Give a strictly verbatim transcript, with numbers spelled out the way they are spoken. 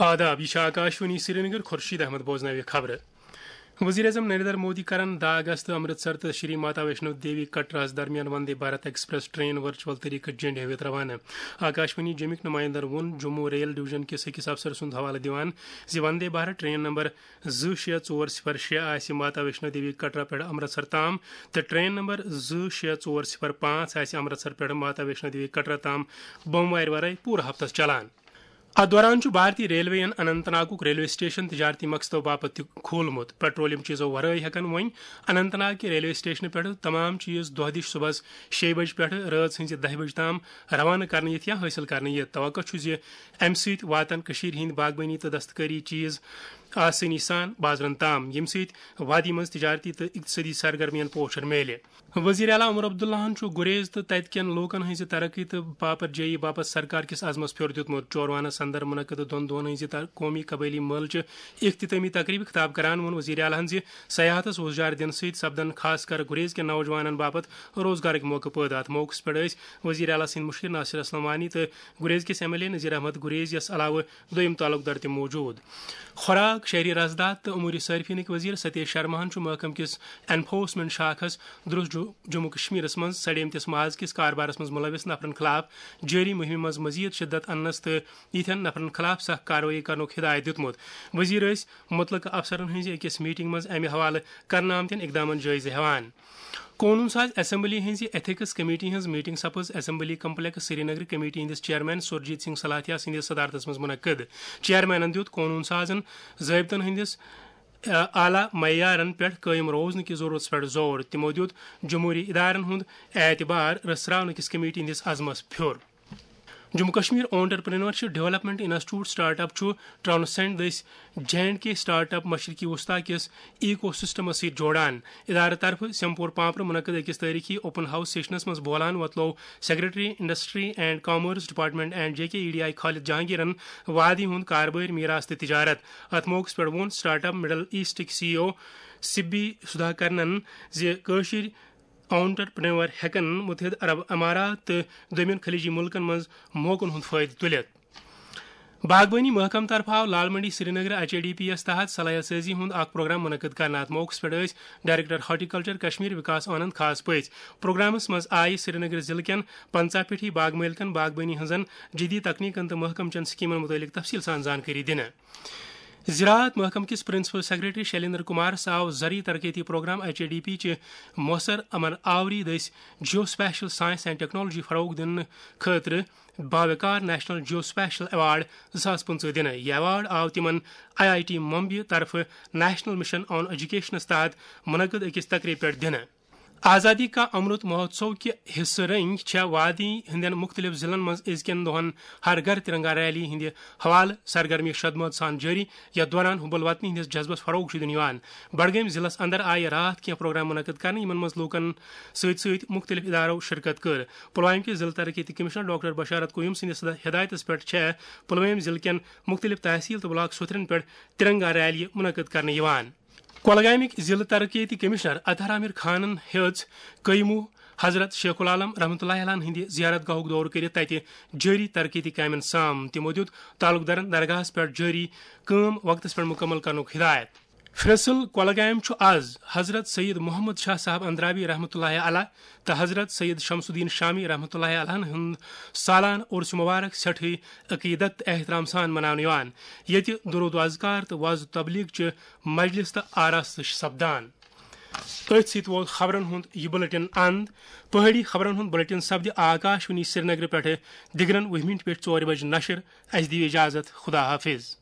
آداب، یہ چھِ آکاشوانی سرینگر۔ خورشید احمد بوزناوِ خبرٕ۔ وزیر اعظم نریندر مودی کرن دہ اگست امرتسر تہٕ شری ماتا ویشنو دیوی کٹراہس درمیان Vande Bharat express train virtual طریقہٕ جنڈِ ہٲوِتھ روانہٕ۔ آکاشوانی جمِکۍ نمائندن ووٚن جموں ریل ڈویژن کِس أکِس افسر سُنٛد حوالہٕ دِوان زِ وندے بھارت ٹرین نمبر زٕ شےٚ ژور صفر شےٚ آسہِ ماتا ویشنو دیوی کٹرا پٮ۪ٹھ امرتسر تام تہٕ ٹرین نمبر زٕ شےٚ ژور صفر پانٛژھ آسہِ امرتسر پٮ۪ٹھ ماتا ویشنو دیوی کٹرا تام بوموارِ ورٲے پوٗرٕ ہفتس چلان۔ اتھ دوران چھُ بھارتی ریلوے یَن اننت ناگُک ریلوے سٹیشن تجارتی مقصدو باپتھ تہِ کھولمُت۔ پیٹرولیم چیزو ورٲے ہٮ۪کن وۄنۍ اننت ناگ کہِ ریلوے سٹیشنہٕ پٮ۪ٹھٕ تمام چیز دۄہ دِش صبحس شیٚیہِ بجہِ پٮ۪ٹھٕ رٲژ ہٕنزِ دَہہِ بجہِ تام روانہٕ کرنہٕ یِتھ یا حٲصِل کرنہٕ یِتھ۔ توقع چھُ زِ امہِ سۭتۍ واتن کٔشیٖر ہٕنٛدۍ باغبٲنی تہٕ دستکٲری چیز آسٲنی سان بازرن تام، ییٚمہِ سۭتۍ وادی منٛز تجارتی تہٕ اقتصٲدی سرگرمین پوشر میلہِ۔ وزیر اعلیٰ عمر عبداللہن چھُ گریز تہٕ تتہِ کٮ۪ن لوٗکن ہٕنٛزِ ترقی تہٕ باپتھ جٲیی باپتھ سرکار کِس عزمس پھیوٚر دیُتمُت۔ چوروانا سندر منعقد دۄن دۄہن ہٕنٛزِ تر-، قومی قبٲئلی مٲلہٕ چہِ اختتٲمی تقریبہِ خطاب کران ووٚن وزیر اعلیٰ ہن زِ سیاحتس وُژھ جار دِنہٕ سۭتۍ سپدن خاص کر گریز کٮ۪ن نوجوانن باپتھ روزگارٕکۍ موقعہٕ پٲدٕ۔ اتھ موقعس پٮ۪ٹھ ٲسۍ وزیر اعلیٰ سٕنٛدۍ مُشیر ناصر اسلم وانی تہٕ گریز کِس M L A Nazir Ahmad Gurez یس علاوٕ دوٚیِم تعلق دار تہِ موجود۔ خوراک، شہری رسداد تہٕ امور صارفینٕکۍ وزیر ستیش شرماہن چھُ محکمہٕ کِس انفورسمنٹ شاخس درست جو-، جموں کشمیرس منٛز سڑیمتِس ماز کِس کاربارس منٛز ملوث نفرن خلاف جٲری مہمہِ منٛز مزید شدت اننس تہٕ یِتھٮ۪ن نفرن خلاف سخت کاروٲیی کرنُک ہدایت دیُتمُت۔ وزیر ٲسۍ متعلقہٕ افسرن ہٕنٛزِ أکِس میٹنگ منٛز امہِ حوالہٕ کرنہٕ آمتٮ۪ن اقدامن جٲیزٕ ہٮ۪وان۔ قونوٗن ساز اسمبلی ہٕنٛزِ ایتھکس کمیٹی ہٕنٛز میٹنگ سپٕز اسمبلی کمپلیکس سرینگر کمیٹی ہٕنٛدِس چیئرمین سرجیت سنگھ سلاتھیا سٕنٛدِس صدارتس منٛز منعقد۔ چیئرمینن دیُت قونوٗن سازن ضٲبطن ہٕنٛدِس، آ، اعلیٰ معیارن پٮ۪ٹھ قٲیِم روزنہٕ کِس ضروٗرتس پٮ۪ٹھ زور۔ تِمو دیُت جمہوٗری ادارن ہُنٛد اعتبار رژھراونہٕ کِس کمیٹی ہٕنٛدِس عزمس پھیوٚر۔ Jammu Kashmir entrepreneurship development institute start up چھُ ٹرانسینڈ دٔسۍ J and K start up مشرقی وسطی کِس ایکو سسٹمس سۭتۍ جوڑان۔ ادارٕ طرفہٕ سیمپور پامپرٕ منعقد أکِس تٲریخی اوپن ہاؤس سیشنس منٛز بولان وۄتلوو secretary industry and commerce department and J K E D I Khalid جہانگیرن وادی ہُنٛد کاربٲرۍ میراث تہٕ تجارت۔ اتھ موقعس پٮ۪ٹھ ووٚن سٹارٹ اپ مڈل ایسٹٕکۍ سی ای او سبی سدھاکرنن زِ کٲشِر آنٹرپرینور ہٮ۪کن متحدہ عرب امارات تہٕ دوٚیمٮ۪ن خلیجی مُلکن منٛز موقعن ہُنٛد فٲیدٕ تُلِتھ۔ باغبٲنی محکمہٕ طرفہٕ آو Lal Mandi Srinagar H A D P یَس تحت صلاحیت سازی ہُنٛد اکھ پروگرام منعقد کرنہٕ۔ اتھ موقعس پٮ۪ٹھ ٲسۍ ڈائریکٹر ہارٹیکلچر کشمیر وکاس آنند خاص پٔژھۍ۔ پروگرامس منٛز آیہِ سرینگر ضلعہٕ کٮ۪ن پنژاہ پیٹھی باغ مٲلکن باغبٲنی ہٕنٛزن جدید تکنیکن تہٕ محکمہٕ چٮ۪ن سکیمن متعلق تفصیل سان زانکٲری دِنہٕ۔ زراعت محکمہٕ کِس پرنسپل سیکرٹری شیلیندر کمارس آو زرعی ترقیتی programme H A D P چہِ موثر عمل آوری دٔسۍ جیو سپیشل سائنس اینڈ ٹیکنالوجی فروغ دِنہٕ خٲطرٕ باوقار نیشنل جیو سپیشل ایوارڈ زٕ ساس پٕنٛژٕہ دِنہٕ۔ یہِ ایوارڈ آو تِمن آئی آئی ٹی ممبیہِ طرفہٕ نیشنل مشن آن ایجوکیشنس تحت منعقد أکِس تقریبہِ پٮ۪ٹھ دِنہٕ۔ آزادی کا امرت مہوتسو کہِ حصہٕ رٔنگۍ چھےٚ وادی ہٕنٛدٮ۪ن مُختٔلِف ضلعن منٛز أزکٮ۪ن دۄہن ہر گھر ترنگا ریلی ہٕنٛدِ حوالہٕ سرگرمی شدمٲژ سان جٲری، یتھ دوران حب الوطنی ہٕنٛدِس جذبس فروغ چھُ دِنہٕ یِوان۔ بڈگٲمۍ ضلعس اندر آیہِ راتھ کینٛہہ پروگرام منعقد کرنہٕ، یِمن منٛز لوٗکن سۭتۍ سۭتۍ مُختٔلِف ادارو شرکت کٔر۔ پلوامہِ کِس ضلعہٕ ترقیتی کمشنر ڈاکٹر بشارت قیوم سٕنٛدِس ہدایتس پٮ۪ٹھ چھےٚ پلوامہِ ضلعہٕ کٮ۪ن مُختٔلِف تحصیل تہٕ بلاک سوتھرن پٮ۪ٹھ ترنگا ریلی منعقد کرنہٕ یِوان۔ کۄلگامٕکۍ ضلعہٕ ترقیتی کمشنر اطہر عامر خانن ہیٚژ قیمو حضرت شیخ العالم رحمتہ اللہ علیہ ہٕنٛدِ زیارت گاہُک دورٕ کٔرِتھ تتہِ جٲری ترقیتی کامٮ۪ن سام۔ تِمو دیُت تعلقدارن درگاہس پٮ۪ٹھ جٲری کٲم وقتس پٮ۪ٹھ مُکمل کرنُک ہدایت۔ فرسل کۄلگامۍ چھُ از حضرت سید محمد شاہ صاحب اندرابی رحمتہ اللہ علیہ تہٕ حضرت سید شمس الدین شامی رحمتہ اللہ علیہ ہُنٛد سالانہٕ عرس مبارک سٮ۪ٹھٕے عقیدت تہٕ احترام سان مناونہٕ یِوان، ییٚتہِ درود و اذکار تہٕ وعظ و تبلیغ چہِ مجلس تہٕ آراستہٕ چھِ سپدان۔ أتھۍ سۭتۍ ووت خبرن ہُنٛد یہِ بُلٹن اند۔ پہٲڑی خبرن ہُنٛد بُلٹن سپدِ آکاشوانی سرینگرٕ پٮ۪ٹھٕ دِگرن وُہہِ مِنٹہِ پٮ۪ٹھ ژورِ بجہِ نشر۔ اسہِ دِیِو اجازت، خدا حافظ۔